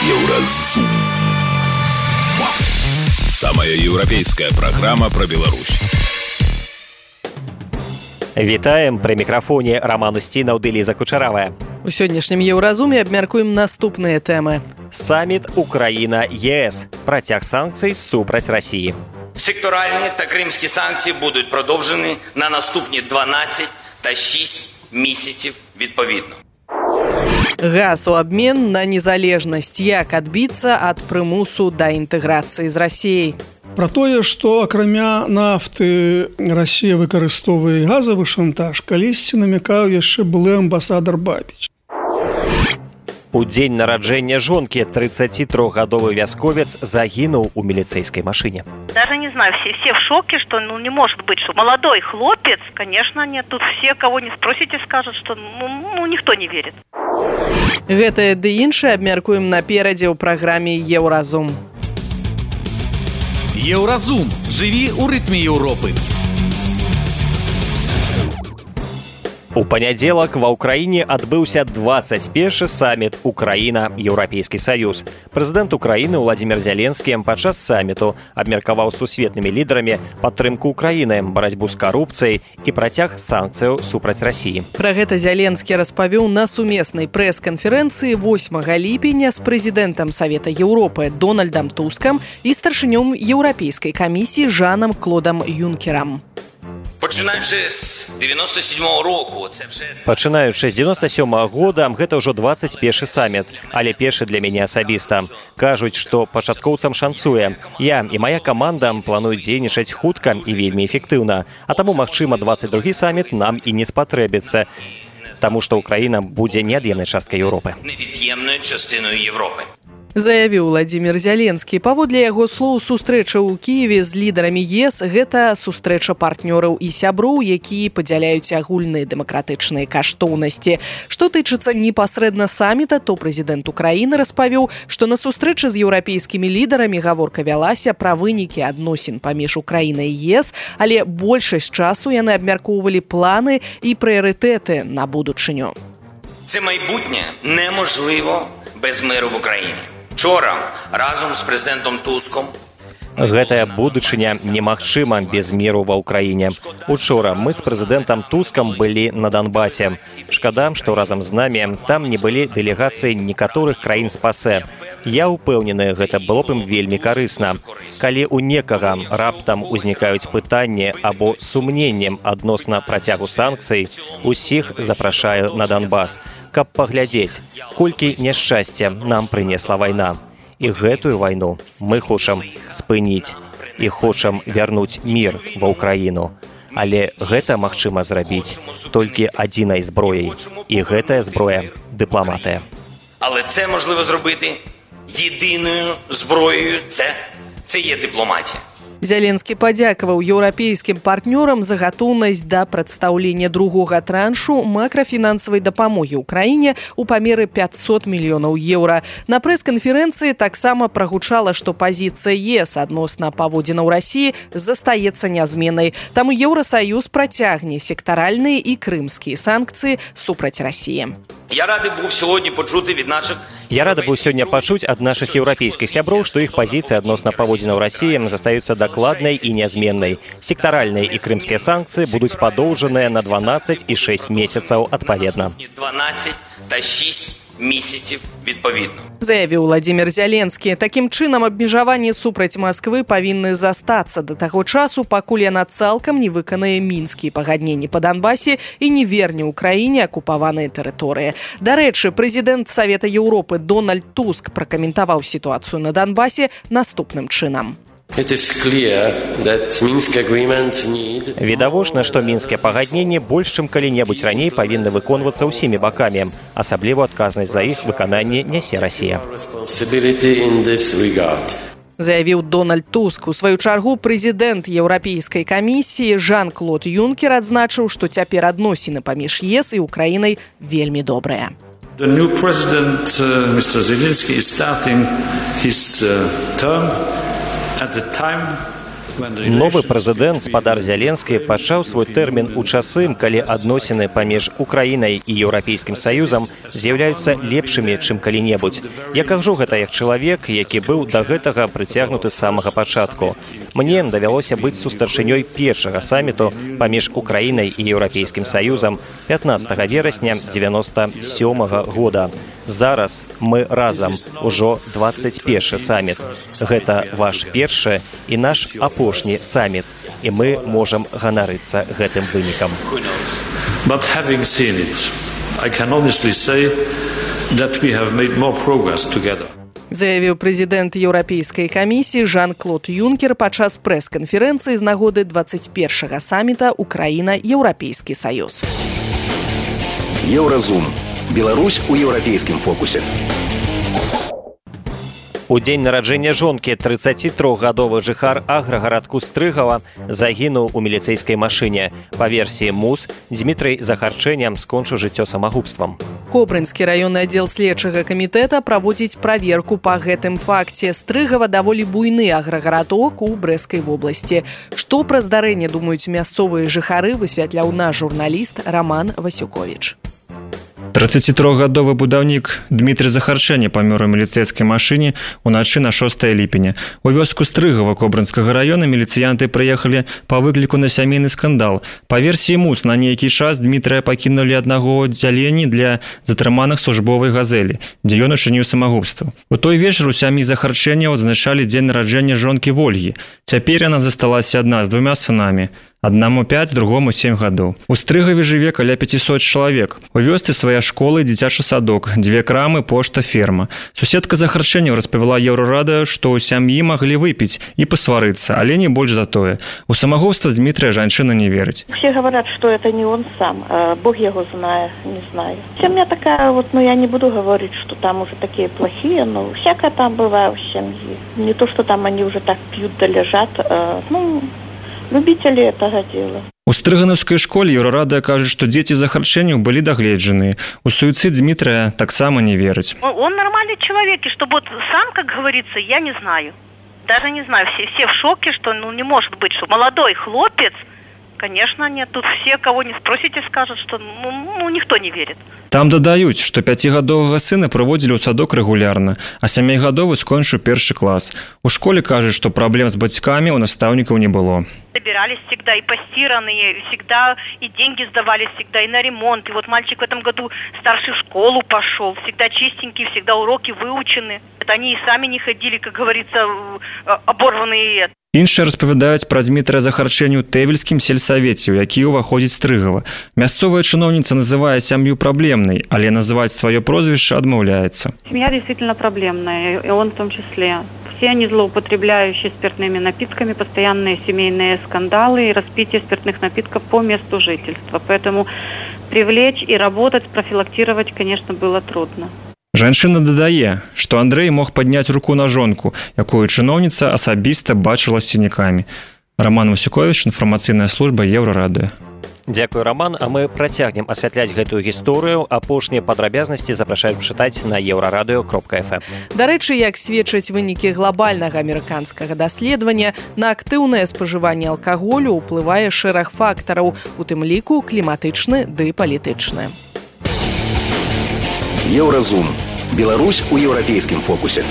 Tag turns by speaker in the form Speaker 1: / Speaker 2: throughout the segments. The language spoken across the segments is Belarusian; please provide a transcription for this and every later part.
Speaker 1: Еўразум. Самая еўрапейская праграма пра Беларусь.
Speaker 2: Вітаем, пры мікрафоне Роман Устінаў ды Ліза Кучаравая.
Speaker 3: У сённяшнім Еўразуме абмяркуем наступныя тэмы.
Speaker 2: Саміт Украина-ЕС. Протяг санкций супраць Росії.
Speaker 4: Секторальні та кримські санкції будуть продовжені на наступні 12 та 6 місяців відповідно.
Speaker 3: Газ у абмен на незалежнасць. Як адбіцца ад прымусу да інтэграцыі з Расіяй.
Speaker 5: Пра тое, што акрамя нафты Расія выкарыстоўвае газавы шантаж, калісьці намякаў яшчэ былы амбасадар Бабіч.
Speaker 2: У дзень нараджэння жонкі 33-гадовы вясковец загінуў у міліцейскай машине.
Speaker 6: Даже не знаю, все в шоке, что не может быть, что молодой хлопец, конечно, нет. Тут все, кого не спросите, скажут, что никто не верит.
Speaker 3: Гэтае ды іншае абмяркуем наперадзе ў праграме Еўразум.
Speaker 7: Еўразум. Жыві ў рытме Еўропы.
Speaker 2: У панядзелак ва ўкраіне адбыўся 21-шы саміт Украіна-Еўрапейскі саюз. Прэзідэнт Украіны Владзімір Зяленскі падчас саміту абмеркаваў з сусветнымі лідарамі падтрымку Украіны, барацьбу з карупцыяй і працяг санкцыяў супраць Расіі.
Speaker 3: Пра гэта Зяленскі распавёў на сумеснай прэс-канферэнцыі 8 ліпеня з прэзідэнтам Савета Еўропы Дональдам Тускам і старшынём Еўрапейскай камісіі Жанам Клодам Юнкерам.
Speaker 4: Пачынаючы з 97-го року,
Speaker 2: Пачынаючы з 97-го года, гэта ўжо 21-шы саміт, але першы для мяне асабіста. Кажуць, што пачаткоўцам шанцуе. Я і мая каманда плануюць дзейнічаць хутка і вельмі эфектыўна. А таму, магчыма, 22-гі саміт нам і не спатрэбіцца, таму што Украіна будзе неад'емнай часткай Еўропы.
Speaker 4: Невід'ємною частиною Європи.
Speaker 3: Заявіў Владзімір Зяленскі. Паводле яго слоў, сустрэча ў Кіеве з лідарамі ЕС – гэта сустрэча партнёраў і сяброў, якія падзяляюць агульныя дэмакратычныя каштоўнасці. Што тычыцца непасрэдна саміта, то прэзідэнт Украіны распавёў, што на сустрэчы з еўрапейскімі лідарамі гаворка вялася пра вынікі адносін паміж Украінай і ЕС, але большасць часу яны абмяркоўвалі планы і прыярытэты на будучыню.
Speaker 4: Це майбутнє неможливо без миру в Україні. Вчора разом з президентом Туском
Speaker 2: Гэтая будучыня немагчыма без міру ва ўкраіне. Учора мы з прэзідэнтам Тускам былі на Донбасе. Шкада, што разам з намі там не былі дэлегацыі некаторых краін СПАСЭ. Я ўпэўнены, гэта было б ім вельмі карысна. Калі ў некага раптам узнікаюць пытанні або сумненнем адносна працягу санкцый, усіх запрашаю на Донбас, каб паглядзець, колькі няшчасця нам прынесла вайна. І гэтую вайну мы хочам спыніць і хочам вярнуць мір ва ўкраіну. Але гэта магчыма зрабіць толькі адзінай зброяй. І гэтая зброя – дыпламатыя.
Speaker 4: Але це можливо зробити єдиною зброєю – це є дипломатія.
Speaker 3: Зяленскі падзякаваў еўрапейскім партнёрам за гатоўнасць да прадстаўлення другога траншу макрафінансавай дапамогі ўкраіне ў памеры 500 мільёнаў еўра. На прэс-канферэнцыі таксама прагучала, што пазіцыя ЕС адносна паводзінаў Расіі застаецца нязменнай. Таму Еўрасаюз працягне сектаральныя і крымскія санкцыі супраць Расіі.
Speaker 4: Я рады був сьогодні почути від наших
Speaker 2: Я рада быў сёння пачуць ад нашых еўрапейскіх сяброў, што іх пазіцыя адносна паводзінаў Расіі застаюцца дакладнай і нязменнай. Сектаральныя і крымскія санкцыі будуць падоўжаныя на 12 і 6 месяцаў адпаведна.
Speaker 4: 12 та 6 місяців відповідно.
Speaker 3: Заявіў Владзімір Зяленскі. Такім чынам, абмежаванні супраць Масквы павінны застацца да таго часу, пакуль яна цалкам не выканае мінскія пагадненні па Донбасе і не верне ўкраіне акупаваныя тэрыторыі. Дарэчы, прэзідэнт Савета Еўропы Дональд Туск пракаментаваў сітуацыю на Донбасе наступным чынам.
Speaker 2: Відавочна, што мінскія пагадненні больш чым калі-небудзь раней павінны выконвацца ўсімі бакамі. Асабліва адказнасць за іх выкананне нясе Расія.
Speaker 3: Заявіў Дональд Туск. У сваю чаргу прэзідэнт Еўрапейскай камісіі Жан-Клод Юнкер адзначыў, што цяпер адносіны паміж ЕС і Украінай вельмі добрыя.
Speaker 8: The new president, Mr. Zelensky, is starting his term at the time
Speaker 2: Новы прэзідэнт спадар Зяленскі пачаў свой тэрмін у часы, калі адносіны паміж Украінай і Еўрапейскім Саюзам з'яўляюцца лепшымі, чым калі-небудзь. Я кажу гэта як чалавек, які быў да гэтага прыцягнуты з самага пачатку. Мне давялося быць сустарчынёй першага саміту паміж Украінай і Еўрапейскім Саюзам 15 верасня 97 года. Зараз мы разам, ужо 21 саміт. Гэта ваш першы і наш апошні саміт, і мы можам ганарыцца гэтым вынікам.
Speaker 8: But having seen it, I can honestly say that we have made more progress together.
Speaker 3: Заявіў прэзідэнт Еўрапейскай камісіі Жан-Клод Юнкер падчас прэс-канферэнцыі з нагоды 21-га саміта Украіна-Еўрапейскі Саюз.
Speaker 9: Еўразум. Беларусь у еўрапейскім фокусе.
Speaker 2: У дзень нараджэння жонкі 33-гадовы жыхар аграгарадку Стрыгава загінуў у міліцэйскай машыне. Па версіі МУС, Дмітрый Захарчэням скончыў жыццё самагубствам.
Speaker 3: Кобрынскі раённы аддзел следчага камітэта праводзіць праверку па гэтым факце. Стрыгава даволі буйны аграгарадок у Брэскай вобласці. Што пра здарэнне думаюць мясцовыя жыхары, высвятляў наш журналіст Роман Васюковіч.
Speaker 10: 33-гадовы будаўнік Дмітрый Захарчэня памёр у міліцэйскай машыне ўначы на 6 ліпеня. У вёску Стрыгава Кобрынскага раёна міліцыянты прыехалі па выкліку на сямейны скандал. Па версіі МУС, на нейкі час Дмітрыя пакінулі аднаго аддзяленні для затрыманых службовай газелі, дзе ён учыніў самагубства. У той вечар у сям'і Захарчэня адзначалі дзень нараджэння жонкі Вольгі. Цяпер яна засталася адна з 2 сынамі. Аднаму 5, другому 7 гадоў. У Стрыгаве жыве каля 500 чалавек. У вёсцы свая школа і дзіцячы садок, 2 крамы, пошта, ферма. Суседка Захарчэню распавяла Еўрарадыё, што ў сям'і маглі выпіць і пасварыцца, але не больш за тое. У самагубства Дмітрия жанчына не верыць.
Speaker 11: Все говорят, что это не он сам. Бог его знает, не знаю. Семья такая вот, я не буду говорить, что там уже такие плохие, но всякое там бывает в семье. Не то, что там они уже так пьют да лежат, любители этого дела.
Speaker 10: У Стрыганаўскай школе Еўрарадыё кажа, што дзеці Захарчэню былі дагледжаныя. У суіцид Дмітрия таксама не верыць.
Speaker 6: Он нормальный человек, и чтобы вот сам, как говорится, я не знаю. Даже не знаю, все в шоке, что не может быть, что молодой хлопец, конечно, нет. Тут все, кого не спросите, скажут, что никто не верит.
Speaker 10: Там дадаюць, што 5гадовага сына прыводзілі ў садок рэгулярна, а 7гадовы скончыў 1 клас. У школе кажуць, што праблем з бацькамі у настаўнікаў не было.
Speaker 6: Собирались всегда и постиранные, всегда и деньги сдавались всегда, и на ремонт. И вот мальчик в этом году в старшую школу пошел, всегда чистенький, всегда уроки выучены. Они и сами не ходили, как говорится, оборванные.
Speaker 10: Іншыя распавядаюць пра Дмітрия Захарчэню Тэвельскім сельсавеце, у які ўваходзіць Стрыгава. Мясцовая чыноўніца называе сям'ю праблемнай, але называць сваё прозвішча адмаўляецца.
Speaker 11: Семья действительно проблемная, и он в том числе. Все они злоупотребляющие спиртными напитками, постоянные семейные скандалы и распитие спиртных напитков по месту жительства. Поэтому привлечь и работать, профилактировать, конечно, было трудно.
Speaker 10: Жанчына дадае, што Андрэй мог падняць руку на жонку, якую чыноўніца асабіста бачыла з сінякамі. Роман Васюковіч, інфармацыйная служба Еўрарадыё.
Speaker 2: Дзякуй, Роман, а мы працягнем асвятляць гэтую гісторыю. Апошнія падрабязнасці запрашаем чытаць на еўрарадыё.фм.
Speaker 3: Дарэчы, як сведчаць вынікі глобальнага амерыканскага даследавання, на актыўнае спажыванне алкаголю ўплывае шэраг фактараў, у тым ліку кліматычны ды палітычны.
Speaker 9: Еўразум. Беларусь у еўрапейскім фокусе.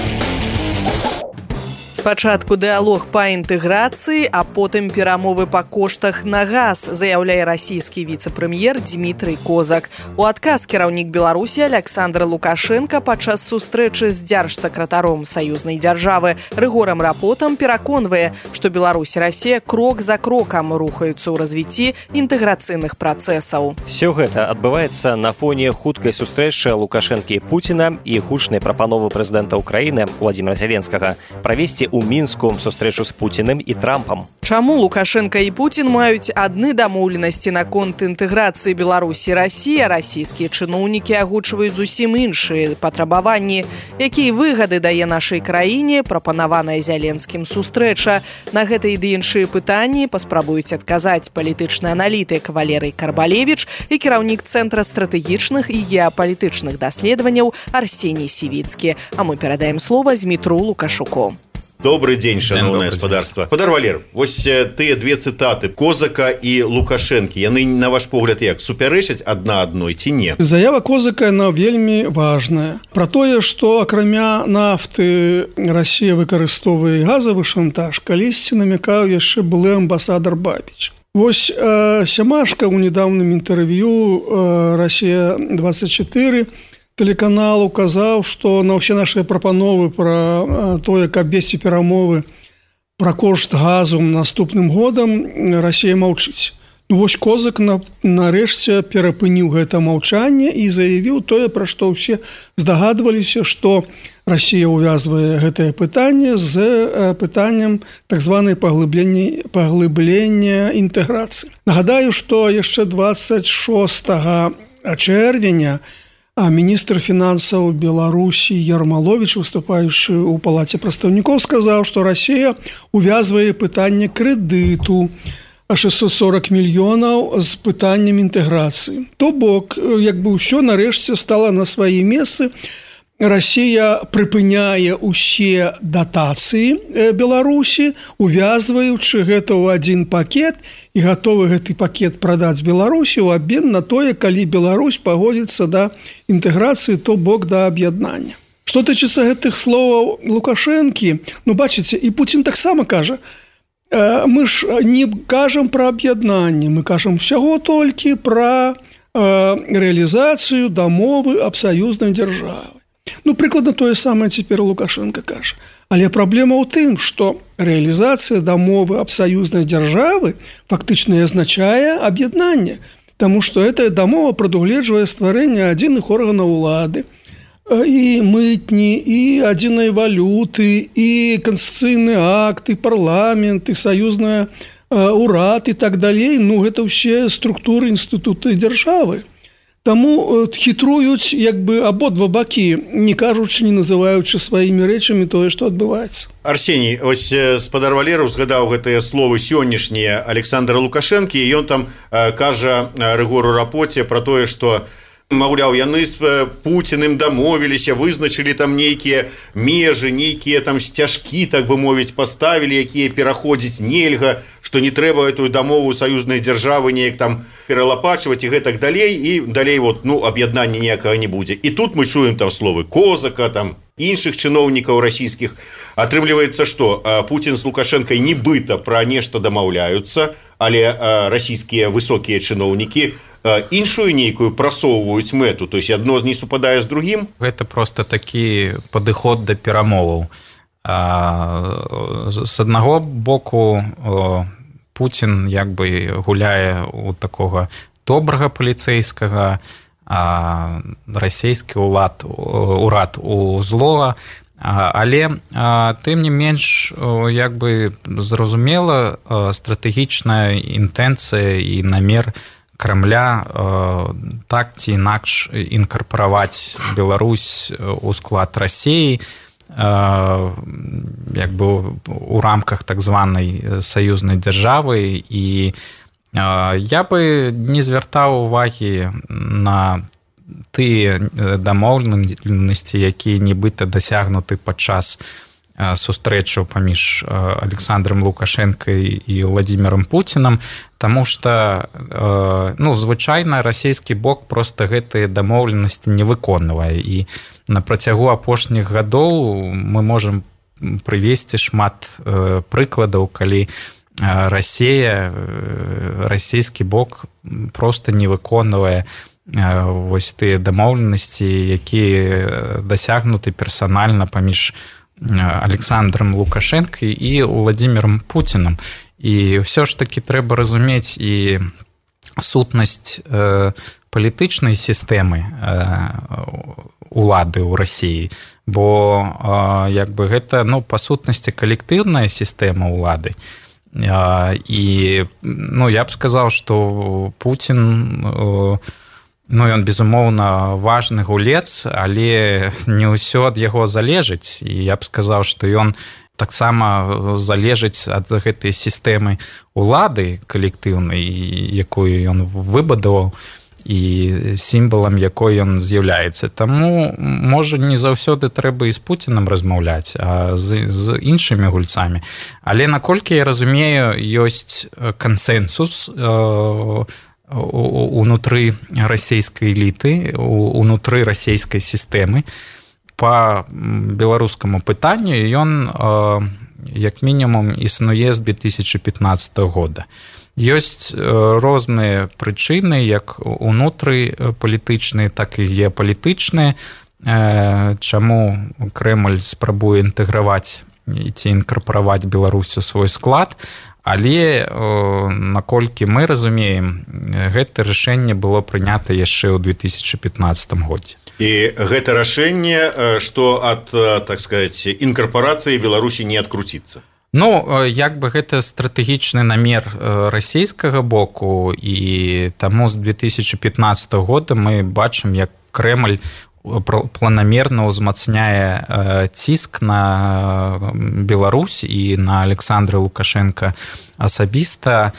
Speaker 3: Спачатку дыалог па інтэграцыі, а потым перамовы па коштах на газ, заяўляе расійскі віцэ-прэм'ер Дмітрый Козак. У адказ кіраўнік Беларусі Александр Лукашенко падчас сустрэчы з дзяржсакратаром саюзнай дзяржавы Рыгорам Рапотам пераконвае, што Беларусь і Расія крок за крокам рухаюцца ў развіцці інтэграцыйных працэсаў.
Speaker 2: Всё гэта адбываецца на фоне хуткай сустрэчы Лукашэнкі і Пуціна і гучнай прапановы прэзідэнта Украіны Владзіміра Зяленскага правесці у Мінску сустрэчу з Пуціным і Трампам.
Speaker 3: Чаму Лукашенко і Пуцін маюць адны дамоўленасці наконт інтэграцыі Беларусі і Расіі, а расійскія чыноўнікі агучваюць зусім іншыя патрабаванні? Якія выгады дае нашай краіне прапанаваная Зяленскім сустрэча? На гэта і іншыя пытанні паспрабуюць адказаць палітычны аналітык Валерый Карбалевіч і кіраўнік Цэнтра стратэгічных і геапалітычных даследаванняў Арсеній Сівіцкі. А мы перадаем слова Змітру Лукашуку.
Speaker 12: Добрый день, шановное господарство. Спадар Валер, вось тыя две цытаты Козака і Лукашэнкі, яны, на ваш погляд, як супярэчаць адна адной ці не?
Speaker 5: Заява Козака, яна вельмі важная. Пра тое, што акрамя нафты Расія выкарыстоўвае газавы шантаж, калісьці намякаў яшчэ былы амбасадар Бабіч. Вось Сямашка ў недаўнім інтэрв'ю «Расія-24» тэлеканал указаў, што на ўсе нашыя прапановы пра тое, каб весці перамовы пра кошт газу наступным годам, Расія маўчыць. Ну вось Козак нарэшце перапыніў гэта маўчанне і заявіў тое, пра што ўсе здагадваліся, што Расія ўвязвае гэтае пытанне з пытаннем так званай паглыблення інтэграцыі. Нагадаю, што яшчэ 26 чэрвеня міністр фінансаў Беларусі Ярмаловіч, выступаючы ў палаце прадстаўнікоў, сказаў, што Расія ўвязвае пытанне крэдыту 640 мільёнаў з пытаннем інтэграцыі. То бок, як бы ўсё нарэшце стала на свае месцы. Расія прыпыняе ўсе датацыі Беларусі, увязваючы гэта ў адзін пакет і гатовы гэты пакет прадаць Беларусі ў абмен на тое, калі Беларусь пагодзіцца да інтэграцыі, то бок да аб'яднання. Што тычыцца гэтых словаў Лукашэнкі, ну бачыце, і Пуцін таксама кажа, мы ж не кажам пра аб'яднанне, мы кажам усяго толькі пра рэалізацыю дамовы аб саюзнай дзяржавы. Ну, прыкладна тое самае цяпер Лукашенко кажа. Але праблема ў тым, што рэалізацыя дамовы аб саюзнай дзяржавы фактычна азначае аб'яднанне, таму што гэтая дамова прадугледжвае стварэнне адзіных органаў улады, і мытні, і адзінай валюты, і канстытуцыйны акт, і парламент, і саюзная урад і так далей. Ну, гэта ўсе структуры інстытуты дзяржавы. Таму хітруюць як бы абодва бакі, не кажучы, не называючы сваімі рэчамі тое, што адбываецца.
Speaker 12: Арсеній, ось спадар Валераў згадаў гэтыя словы сённяшнія Александра Лукашэнкі, і ён там кажа Рыгору Рапоце пра тое, што маўляў, яны з Пуціным дамовіліся, вызначылі там нейкія межы, нейкія там сцяжкі, так бы мовіць, паставілі, якія пераходзіць нельга, што не трэба эту дамову саюзнай дзяржавы неяк там пералапачваць і гэтак далей, і далей вот, ну, аб'яднання ніякага не будзе. І тут мы чуем там словы Козака, там іншых чыноўнікаў расійскіх. Атрымліваецца, што Пуцін з Лукашэнкай нібыта пра нешта дамаўляюцца, але расійскія высокія чыноўнікі іншую нейкую прасоўваюць мэту, то есть адно не супадае з другім.
Speaker 13: Гэта просто такі падыход да перамоваў. З аднаго боку Пуцін як бы гуляе у такога добрага паліцэйскага, расійскі урад у злога, але тым не менш як бы зразумела стратэгічная інтэнцыя і намер Крамля так ці інакш інкарпараваць Беларусь у склад Расіі як бы у рамках так званай саюзнай дзяржавы, і я бы не звяртаў увагі на тыя дамоўленасці, якія нібыта дасягнуты падчас сустрэчу паміж Александром Лукашэнкай і Владимиром Пуцінам, таму што ну, звычайна расійскі бок проста гэтыя дамоўленасці не выконвае, і на працягу апошніх гадоў мы можам прывесці шмат прыкладаў, калі расійскі бок проста не выконвае вось тыя дамоўленасці, якія дасягнуты персанальна паміж Александром Лукашэнкай і Владимиром Пуцінам. І ўсё ж такі трэба разумець і сутнасць палітычнай сістэмы улады ў Расіі, бо як бы гэта, ну, па сутнасці калектыўная сістэма ўлады. І ну, я б сказаў, што Пуцін ну, ён, безумоўна, важны гулец, але не ўсё ад яго залежыць. І я б сказаў, што ён таксама залежыць ад гэтай сістэмы улады калектыўнай, якую ён выбудаваў. і сімвалам, якой ён з'яўляецца. Таму, можа, не заўсёды трэба і з Пуцінам размаўляць, а з іншымі гульцамі. Але, наколькі я разумею, ёсць кансэнсус унутры расійскай эліты, унутры расійскай сістэмы па беларускаму пытанню, ён як мінімум існуе з 2015 года. Ёсць розныя прычыны, як унутры палітычныя, так і геапалітычныя, чаму Крэмль спрабуе інтэграваць ці інкарпараваць Беларусь у свой склад, але, наколькі мы разумеем, гэта рашэнне было прынята яшчэ ў 2015 годзе.
Speaker 12: І гэта рашэнне, што ад, так сказаць, інкарпарацыі Беларусі не адкруціцца.
Speaker 13: Ну, як бы гэта стратэгічны намер расійскага боку, і таму з 2015 года мы бачым, як Крэмль планамерна ўзмацняе ціск на Беларусь і на Александра Лукашенка асабіста.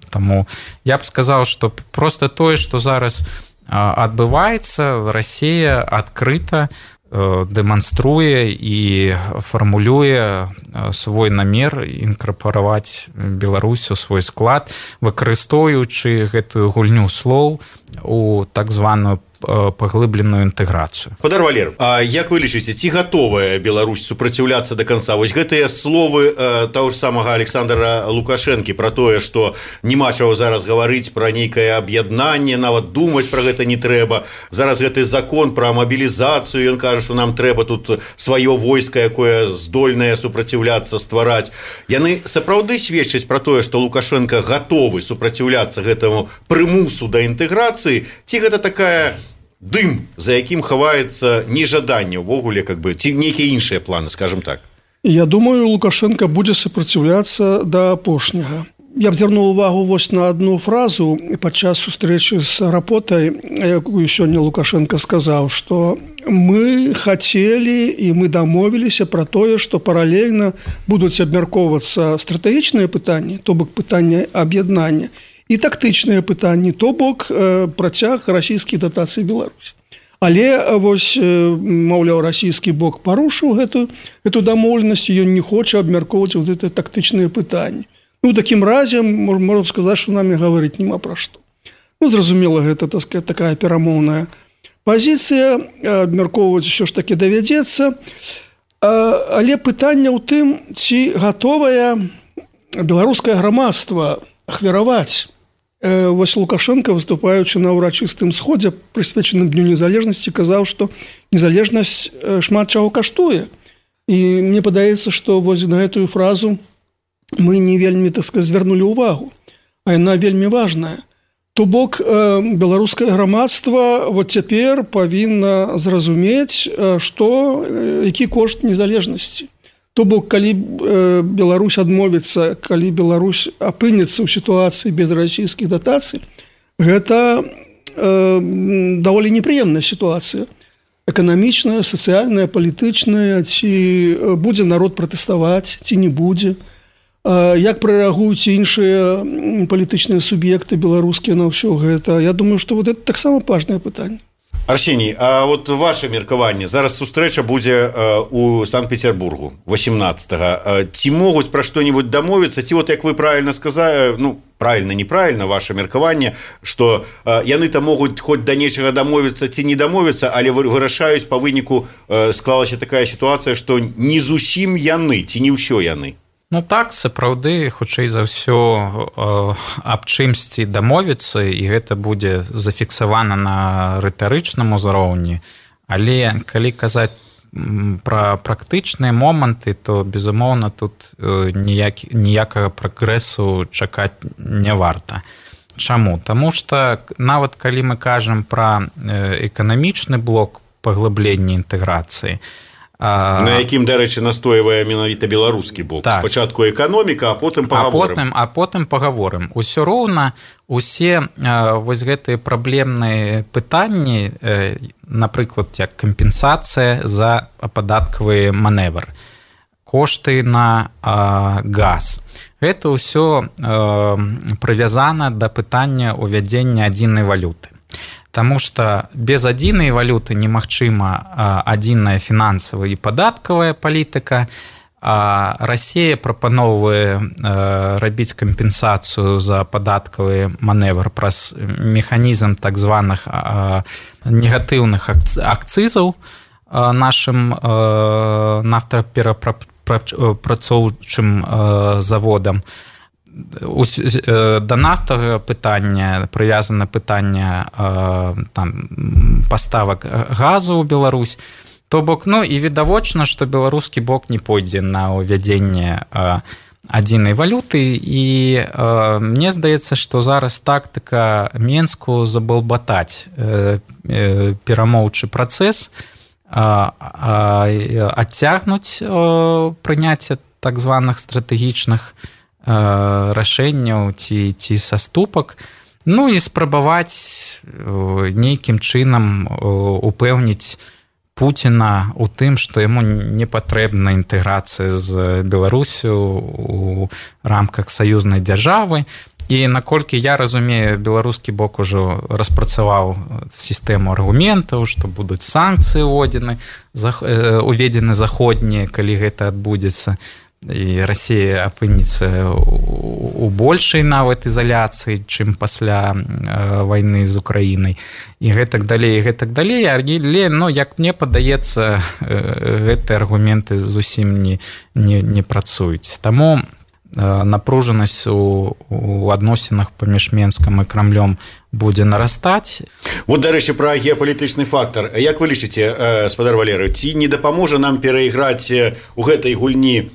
Speaker 13: Таму я б сказаў, што проста тое, што зараз адбываецца, Расія адкрыта дэманструе і фармулюе свой намер інкарпараваць Беларусь у свой склад, выкарыстоўваючы гэтую гульню слоў у так званую паглыбленую інтэграцыю.
Speaker 12: Спадар Валер, а як вы лічыце, ці гатовая Беларусь супраціўляцца да канца? Вось гэтыя словы таго ж самага Александра Лукашэнкі пра тое, што няма чаго зараз гаварыць пра нейкае аб'яднанне, нават думаць пра гэта не трэба. Зараз гэты закон пра мабілізацыю, ён кажа, што нам трэба тут сваё войска, якое здольнае супраціўляцца, ствараць. Яны сапраўды сведчаць пра тое, што Лукашенко гатовы супраціўляцца гэтаму прымусу да інтэграцыі, ці гэта такая дым, за якім хаваецца нежаданне ўвогуле, как бы, ці нейкія іншыя планы, скажем так?
Speaker 5: Я думаю, Лукашенко будзе супраціўляцца да апошняга. Я б звярнуў увагу вось на одну фразу падчас сустрэчы з Рапотай, якую сёння Лукашенко сказаў, што мы хацелі і мы дамовіліся пра тое, што паралельна будуць абмяркоўвацца стратэгічныя пытанні, то бок пытанне аб'яднання, і тактычныя пытанні, то бок працяг расійскіх датацый Беларусь. Але вось, маўляў, расійскі бок парушыў гэту дамоўленасць, ён не хоча абмяркоўваць вот гэта тактычныя пытанні. Ну, такім разе, можна сказаць, што намі гаварыць няма пра што. Ну, зразумела, гэта, так сказать, такая перамоўная пазіцыя, абмяркоўваць усё ж такі давядзецца. Але пытанне ў тым, ці гатовае беларускае грамадства ахвяраваць. Вось Лукашенко, выступаючы на ўрачыстым сходзе, прысвечаным Дню незалежнасці, казаў, што незалежнасць шмат чаго каштуе. І мне падаецца, што вось на гэтую фразу мы не вельмі, так сказать, звярнулі ўвагу, а яна вельмі важная. То бок беларускае грамадства вот цяпер павінна зразумець, што які кошт незалежнасці. То бок, калі Беларусь адмовіцца, калі Беларусь апынецца ў сітуацыі без расійскіх датацый, гэта даволі непрыемная сітуацыя. Эканамічная, сацыяльная, палітычная, ці будзе народ пратэставаць, ці не будзе. Як прарэагуюць іншыя палітычныя суб'екты беларускія на ўсё гэта. Я думаю, што вот это таксама важнае пытанне.
Speaker 12: Арсеній, а от ваше меркаванне, зараз сустрэча будзе у Санкт-Петербургу 18-го. Ці могуць пра што-нибудь дамовіцца, ці вот як вы правильно сказали, ну, правильно, неправильно ваше меркаванне, што яны там могуць хоць да нечага дамовіцца ці не дамовіцца, але вырашаюць па выніку склалася такая сітуацыя, што не зусім яны, ці не ўсё яны.
Speaker 13: Ну так, сапраўды, хутчэй за ўсё аб чымсьці дамовіцца, і гэта будзе зафіксавана на рытарычным узроўні. Але калі казаць пра практычныя моманты, то, безумоўна, тут ніякага прагрэсу чакаць не варта. Чаму? Таму што нават калі мы кажам пра эканамічны блок паглыблення інтэграцыі,
Speaker 12: на якім, дарэчы, настойвае менавіта беларускі бок. Так. Спачатку эканоміка, а потым пагаворым.
Speaker 13: А потым пагаворым. Усё роўна усе вось гэтыя праблемныя пытанні, напрыклад, як кампенсацыя за падаткавы маневр, кошты на газ. Гэта ўсё прывязана да пытання ўвядзення адзінай валюты. Таму што без адзінай валюты немагчыма адзіная фінансавая і падаткавая палітыка, а Расія прапаноўвае рабіць кампенсацыю за падаткавы маневр праз механізм так званых негатыўных акцызаў нашым нафтаперапрацоўчым заводам. Да нафтавага пытання прывязана пытанне паставак газу ў Беларусь. То бок, і відавочна, што беларускі бок не пойдзе на ўвядзенне адзінай валюты, і мне здаецца, што зараз тактыка Менску забалбатаць перамоўчы працэс, адцягнуць прыняцце так званых стратэгічных рашэнняў ці саступак, і спрабаваць нейкім чынам упэўніць Пуціна у тым, што яму не патрэбна інтэграцыя з Беларусю у рамках саюзнай дзяржавы. І наколькі я разумею, беларускі бок ужо распрацаваў сістэму аргументаў, што будуць санкцыі уведзены заходнія, калі гэта адбудзецца. І Расія апынецца у большай нават ізаляцыі, чым пасля вайны з Украінай. І гэтак далей, Але, як мне падаецца, гэтыя аргументы зусім не працуюць. Таму напружанасць у адносінах паміж Менскам і Крамлём будзе нарастаць.
Speaker 12: Вот, дарэчы, пра геапалітычны фактар. Як вы лічыце, спадар Валерый, ці не дапаможа нам перайграць у гэтай гульні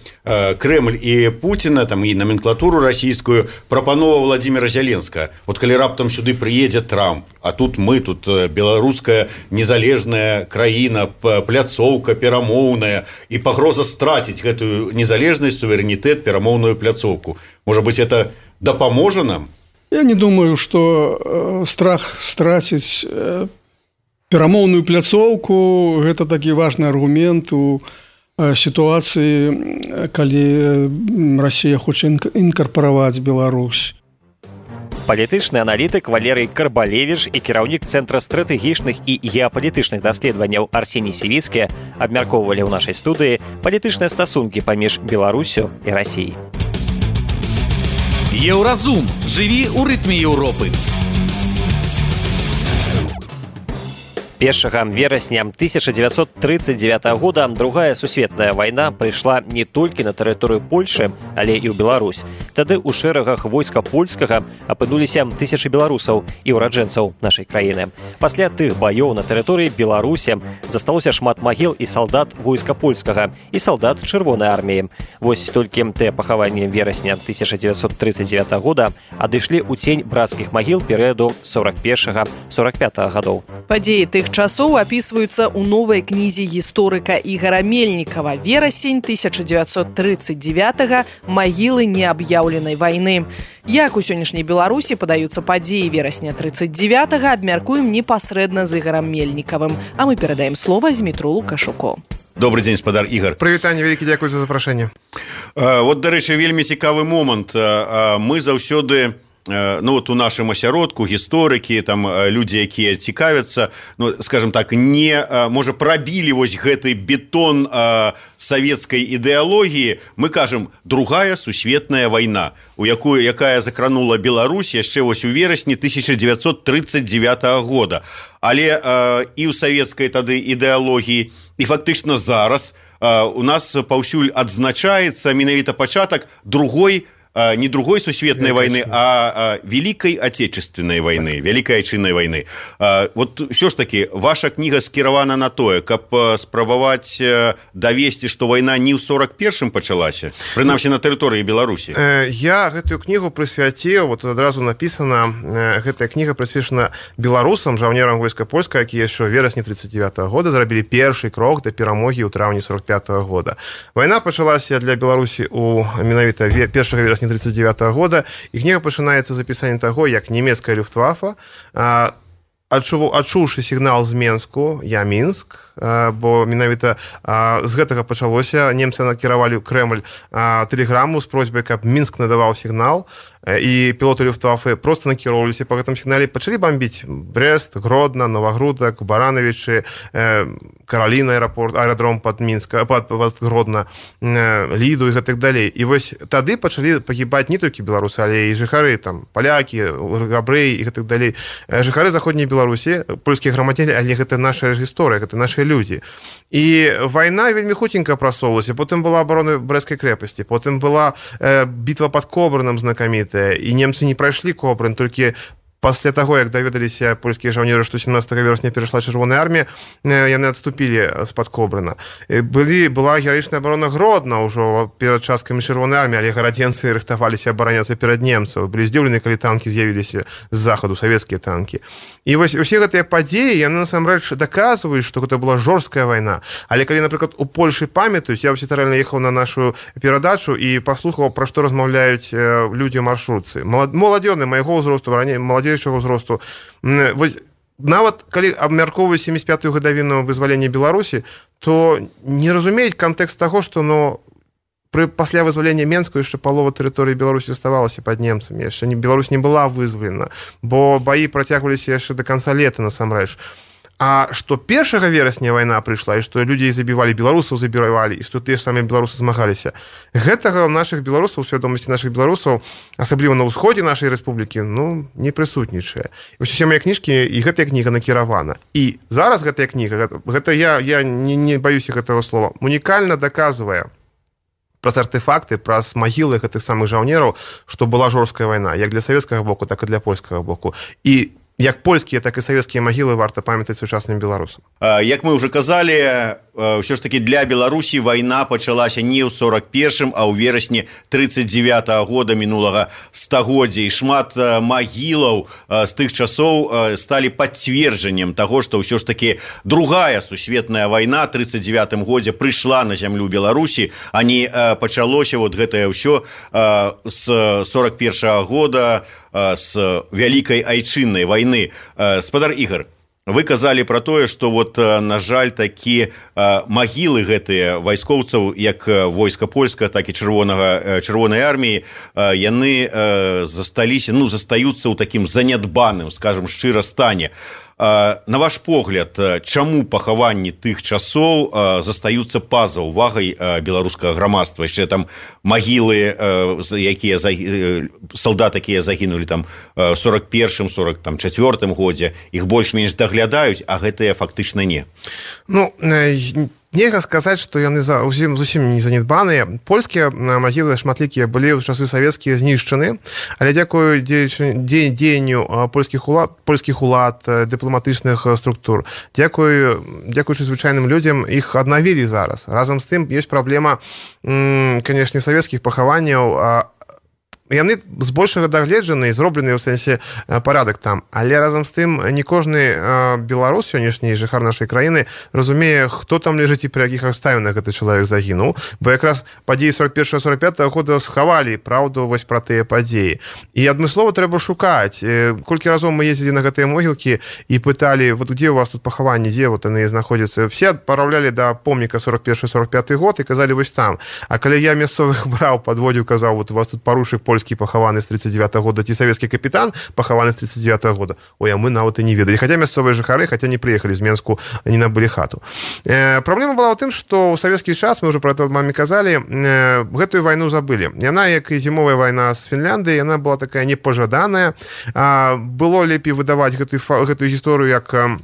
Speaker 12: Кремль і Пуціна, і номенклатуру расійскую, прапанова Владимира Зеленскага? Вот калі раптам сюды прыедзе Трамп, а тут мы, тут беларуская незалежная краіна, пляцоўка перамоўная, і пагроза страціць гэтую незалежнасць, суверэнітэт, перамоўную пляцоўку. Можа быць, это дапаможа нам?
Speaker 5: Я не думаю, что страх страціць перамоўную пляцоўку – гэта такі важны аргумент у сітуацыі, калі Расія хоча інкарпараваць Беларусь.
Speaker 2: Палітычны аналітык Валерый Карбалевіч і кіраўнік Цэнтра стратэгічных і геапалітычных даследаванняў Арсеній Сівіцкі абмяркоўвалі ў нашай студыі палітычныя стасункі паміж Беларусю і Расіяй.
Speaker 7: Еўразум. Жыві ў рытме Еўропы.
Speaker 2: 1 верасня 1939 года другая сусветная вайна прыйшла не толькі на тэрыторыю Польшы, але і ў Беларусь. Тады ў шэрагах войска польскага апынуліся тысячы беларусаў і ўраджэнцаў нашай краіны. Пасля тых баёў на тэрыторыі Беларусі засталося шмат магіл і салдат войска польскага і салдат чырвонай арміі. Вось толькі тыя пахаванні верасня 1939 года адышлі ў цень брацкіх магіл перыяду 41-45 гадоў.
Speaker 3: Падзеі тых часоў апісваюцца ў новай кнізе гісторыка Ігара Мельнікава «Верасень 1939-го. Магілы неаб'яўленай вайны». Як у сённяшняй Беларусі падаюцца падзеі верасня 39-го, абмяркуем непасрэдна з Ігарам Мельнікавым. А мы перадаем слова Змітру Лукашуку.
Speaker 12: Добрый дзень, спадар Ігар.
Speaker 14: Прывітанне, вялікі дзякуй за запрашэнне.
Speaker 12: Вот, дарэчы, вельмі цікавы момант. Мы заўсёды у нашым асяродку гісторыкі, людзі, якія цікавяцца, скажем так, не можа прабілі вось гэты бетон савецкай ідэалогіі, мы кажам другая сусветная вайна, якая закранула Беларусь яшчэ вось у верасні 1939 года. Але і ў савецкай тады ідэалогіі, і фактычна зараз у нас паўсюль адзначаецца менавіта пачатак не другой сусветной войны, а Великой Отечественной войны, Великой Айчыннай войны. Вот все ж таки, ваша книга скіравана на тое, каб спрабаваць давесці, што вайна не ў 41-м пачалася, прынамсі на тэрыторыі Беларусі.
Speaker 14: Я гэтую книгу прысвяціў, вот адразу написана, гэтая книга прысвечана беларусам, жаўнерам войска польскага, якія яшчэ ў верасні 39 года зрабілі першы крок да перамогі ў траўні 45 года. Вайна пачалася для Беларусі у менавіта 1 верасня 1939 года, і кніга пачынаецца з апісання таго, як нямецкая люфтвафа, адчуўшы сігнал з Менску, я Мінск, бо менавіта з гэтага пачалося, немцы накіравалі ў Крэмль тэлеграму з просьбай, каб Мінск надаваў сігнал, і пілоты Люфтваффе просто накіроўваліся па гэтым сігнале, пачалі бомбіць Брест, Гродно, Новогрудок, Барановичы, Каролина аэродром пад Гродно, Ліду і гэтак далей. І вось тады пачалі пагібаць не толькі беларусы, але і жыхары, там, палякі, габрэі і гэтак далей. Жыхары заходняй Беларусі, польскія грамадзяне, але гэта наша гісторыя, гэта нашы людзі. І вайна вельмі хутенька прасоўвалася, потым была абарона Брэсцкай крэпасці, потым была бітва пад Кобрыном знакамітая, і немцы не прайшлі Кобрын, толькі пасля таго, як даведаліся польскія жаўнеры, што 17 верасня перайшла чырвоная армія, яны адступілі з-пад Кобрына. Была гераічная абарона Гродна ўжо перад часткамі чырвонай арміі, але гарадзенцы рыхтаваліся абараняцца перад немцаў. Былі здзіўлены, калі танкі з'явіліся з захаду, савецкія танкі. І вось усе гэтыя падзеі, яны насамрэч даказваюць, што гэта была жорсткая вайна. Але калі, напрыклад, у Польшы памятаюць, я рэальна ехаў на нашу перадачу і паслухаў, пра што размаўляюць людзі ў маршрутцы. Маладзёны майго ўзросту, раней маладзейшага ўзросту. Вось нават калі абмяркоўваюць 75-ю гадавіну вызвалення Беларусі, то не разумеюць кантэкст таго, што пасля вызвалення Менска яшчэ палова тэрыторыі Беларусі заставалася пад немцамі. Яшчэ Беларусь не была вызвалена, бо баі працягваліся яшчэ да канца лета насамрэч. А што 1 верасня вайна прыйшла, і што людзей забівалі, беларусаў забівалі, і што тыя ж самыя беларусы змагаліся, гэтага ў нашых беларусаў, у свядомасці нашых беларусаў, асабліва на ўсходзе нашай рэспублікі, не прысутнічае. І ўсе мае кніжкі, і гэтая кніга накіравана. І зараз гэтая кніга, гэта я не баюся гэтага слова, унікальна даказвае праз артефакты, праз магілы гэтых самых жаўнераў, што была жорсткая вайна, як для савецкага боку, так і для польскага боку. І як польскія, так і савецкія магілы варта памятаць сучасным беларусам.
Speaker 12: Як мы ўжо казалі, ўсё ж такі для Беларусі вайна пачалася не ў 41-м, а ў верасні 39-го года мінулага стагоддзя. І шмат магілаў з тых часоў сталі пацверджаннем таго, што ўсё ж такі другая сусветная вайна 39-м годзе прыйшла на зямлю Беларусі, а не пачалося гэтае ўсё з 41-го года, з вялікай айчыннай вайны. Спадар Ігор, вы казалі пра тое, што на жаль, такі магілы гэтыя вайскоўцаў, як войска польска, так і чырвонай арміі, яны застаюцца ў такім занядбаным, скажам шчыра, стане. На ваш погляд, чаму пахаванні тых часоў застаюцца па-за ўвагай беларускага грамадства? Яшчэ там магілы, салдат, якія загінулі там 41-м, 44-м годзе, іх больш-менш даглядаюць, а гэтыя фактычна не.
Speaker 14: Нельга сказаць, што яны зусім не занядбаныя. Польскія магілы шматлікія былі ў часы савецкія знішчаны, але дзякую дзеянню польскіх улад, дыпламатычных структур, дзякуючы звычайным людзям, іх аднавілі зараз. Разам з тым ёсць праблема, канешне, савецкіх пахаванняў. Яны збольшага дагледжаны і зроблены ў сэнсе парадак там. Але разам з тым не кожны беларус, сённяшні жыхар нашай краіны, разумее, хто там ляжыць і пры якіх абставінах гэты чалавек загінуў. Бо якраз падзеі 41-45 года схавалі праўду вось пра тыя падзеі. І адмыслова трэба шукаць. Колькі разоў мы ездзілі на гэтыя могілкі і пыталі, дзе у вас тут пахаванні, дзе яны знаходзяцца. Все адпраўлялі да помніка 41-45 год і казалі вось там. А калі я мясцовых браў, падводзіў, казаў, у вас тут парушык пахаваны з 39-го года, ці савецкі капітан пахаваны з 39-го года. Ой, а мы нават і не ведалі. Хаця мясцовыя жыхары, хаця не прыехалі з Менску, не набылі хату. Праблема была ў тым, што ў савецкі час, мы ўжо пра гэта маме казалі, гэтую вайну забылі. Яна, як і зімовая вайна з Фінляндыі, яна была такая непажаданая. Было лепей выдаваць гэтую гісторыю як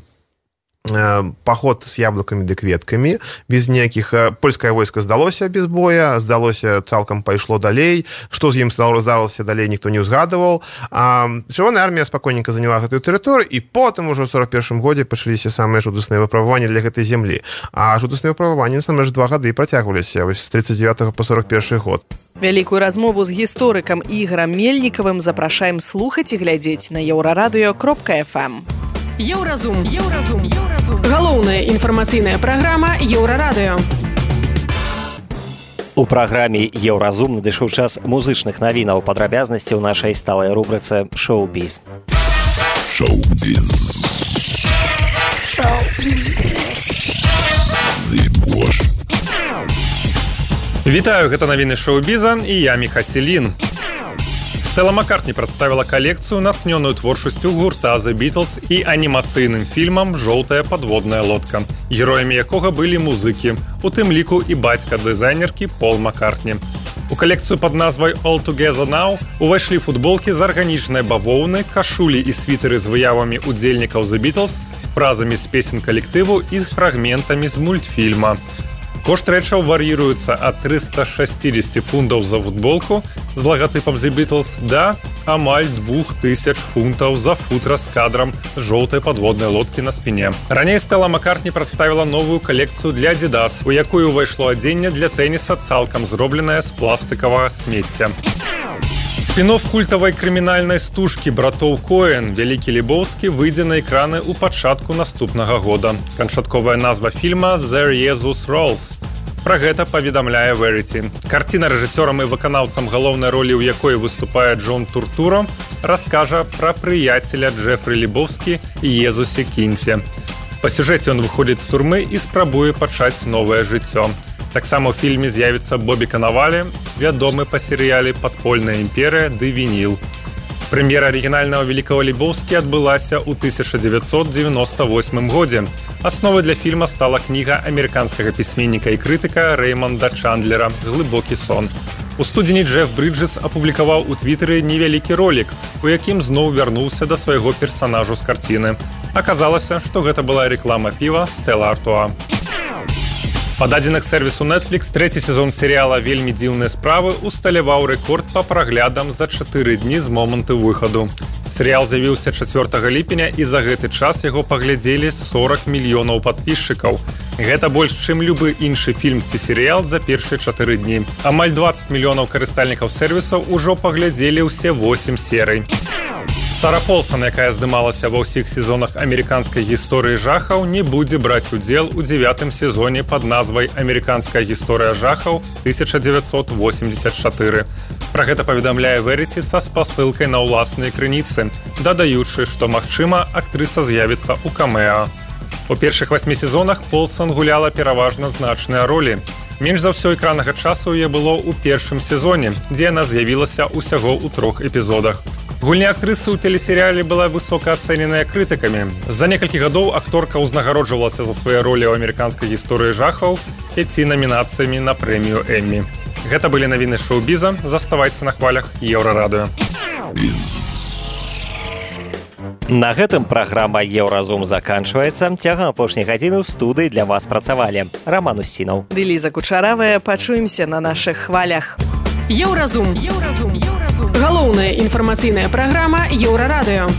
Speaker 14: паход з яблыкамі ды кветкамі, без ніякіх. Польскае войска здалося без боя, здалося, цалкам пайшло далей. Што з ім здалося далей, ніхто не ўзгадываў. Чырвоная армія спакойненька заняла гэтую тэрыторыю, і потым ужо ў 41-м годзе пачаліся самыя жудасныя выпрабаванні для гэтай зямлі. А жудасныя выпрабаванні насамрэч 2 гады працягваліся, вось з 39 по 41 год.
Speaker 3: Вялікую размову з гісторыкам Ігорам Мельнікавым запрашаем слухаць і глядзець на еўрарадыё.фм.
Speaker 15: Еўразум. Галоўная інфармацыйная праграма Еўрарадыё.
Speaker 2: У праграме Еўразум надышоў час музычных навінаў, падрабязнасці ў нашай сталай рубрыцы «Шоу-біз».
Speaker 16: Вітаю, гэта навіны шоу-біза і я Міха Селін. Стэла Маккартні прадставіла калекцыю, натхнёную творчасцю гурта The Beatles і анімацыйным фільмам «Жоўтая падводная лодка», героямі якога былі музыкі, у тым ліку і бацька дызайнеркі Пол Маккартні. У калекцыю пад назвай «All Together Now» увайшлі футболкі з арганічнай бавоўны, кашулі і світэры з выявамі удзельнікаў The Beatles, фразамі з песен калектыву і з фрагментамі з мультфільма. Кошт рэчаў вар'іруецца ад 360 фунтаў за футболку з лагатыпам The Beatles да амаль 2000 фунтаў за футра з кадрам жоўтай падводнай лодкі на спіне. Раней Стэла Маккартні прадставіла новую калекцыю для Adidas, у якую ўвайшло адзенне для тэніса цалкам зробленае з пластыкавага смецця. Спін-офф культавай крымінальнай стужкі братоў Коэн «Вялікі Лебоўскі» выйдзе на экраны ў пачатку наступнага года. Канчатковая назва фільма «The Jesus Rolls». Пра гэта паведамляе Verity. Карціна рэжысёрам і выканаўцам галоўнай ролі, у якой выступае Джон Туртуро, раскажа пра прыяцеля Джефры Лебоўскі і Езусе Кінце. Па сюжэце ён выходзіць з турмы і спрабуе пачаць новае жыццё. Таксама ў фільме з'явіцца Бобі Канавалі, вядомы па серыяле «Падпольная імперыя» ды «Вініл». Прэм'ера арыгінальнага «Великого Лебоўскі» адбылася ў 1998 годзе. Асновай для фільма стала кніга амерыканскага пісьменніка і крытыка Рэймонда Чандлера «Глыбокі сон». У студзені Джеф Брыджэс апублікаваў у твітары невялікі ролік, у якім зноў вярнуўся да свайго персанажу з карціны. Аказалася, што гэта была рэклама піва «Стэла Артуа». Па дадзеных сэрвісу Netflix трэці сезон серыяла «Вельмі дзіўныя справы» усталяваў рэкорд па праглядам за 4 дні з моманту выхаду. Серыял з'явіўся 4 ліпеня і за гэты час яго паглядзелі 40 мільёнаў падпісчыкаў. Гэта больш, чым любы іншы фільм ці серыял за першыя 4 дні. Амаль 20 мільёнаў карыстальнікаў сэрвісаў ужо паглядзелі ўсе 8 серый. Сара Полсон, якая здымалася ва ўсіх сезонах амерыканскай гісторыі жахаў, не будзе браць удзел у 9-м сезоне пад назвай «Амерыканская гісторыя жахаў 1984». Пра гэта паведамляе Verity са спасылкай на ўласныя крыніцы, дадаючы, што, магчыма, актрыса з'явіцца ў камеа. У першых 8 сезонах Полсон гуляла пераважна значныя ролі. Менш за ўсё экраннага часу яе было ў першым сезоне, дзе яна з'явілася ўсяго ў 3 эпізодах. Гульня актрысы ў тэлесерыяле была высока ацэненая крытыкамі. За некалькі гадоў акторка ўзнагароджвалася за свае ролі ў амерыканскай гісторыі жахаў 5 намінацыямі на прэмію Эммі. Гэта былі навіны шоу-біза. Заставайце на хвалях Еўрарадыё.
Speaker 2: На гэтым праграма «Еўразум» заканчваецца. Цягам апошняй гадзіны ў студыі для вас працавалі Роман Усінаў
Speaker 3: ды Ліза Кучаравая. Пачуемся на нашых хвалях.
Speaker 15: Еўразум. Галоўная інфармацыйная праграма Еўрарадыё.